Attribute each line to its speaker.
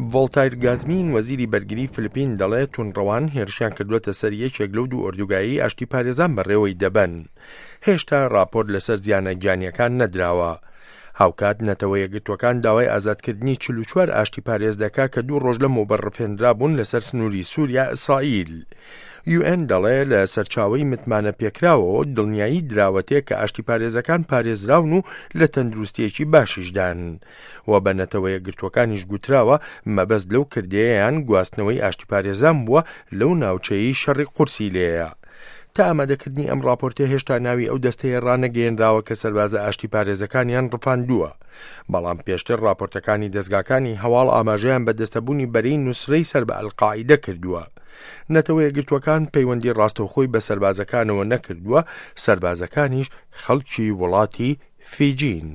Speaker 1: ڤۆڵتایر گازمین وەزیری بەرگری فلپین دەڵێ توندڕەوان هێرشیان کردووەتە سەر یەکێک لەو دوو ئۆردوگایەی ئاشتیپارێزان بەڕێوەی دەبەن. هێشتا ڕاپۆرت لەسەر زیانە گیانییەکان نەدراوە. هاوکات نەتەوە یەکگرتووەکان داوای ئازادکردنی 44 ئاشتیپارێز دەکا کە دوو ڕۆژ لەمەوبەر ڕفێنرابوون لەسەر سنووری سووریا ئیسرائیل. یوئێن دەڵێ لە سەرچاوەی متمانە پێکراوەوە دڵنیایی دراوەتێ کە ئاشتیپارێزەکان پارێزراون و لە تەندروستییەکی باشیشدان. و بە نەتەوە یەکگرتووەکانیش گوتراوە مەبەست لەو کردەیەیان گواستنەوەی ئاشتیپارێزان بووە لەو ناوچەیەی شەڕی قورسی لێیە. تا ئامادەکردنی ئەم ڕاپۆرتە هێشتا ناوی ئەو دەستەیە ڕانەگەیەنراوە کە سەربازە ئاشتیپارێزەکانیان ڕفاندووە. بەڵام پێشتر ڕاپۆرتەکانی دەزگاکانی هەواڵ ئاماژەیان بە دەستەبوونی بەرەی نوسرەی سەر بە ئەلقاعیدە کردووە. نەتەوە یەکگرتووەکان پەیوەندی ڕاستەوخۆی بە سەربازەکانەوە نەکردووە، سەربازەکانیش خەڵکی وڵاتی فیجین.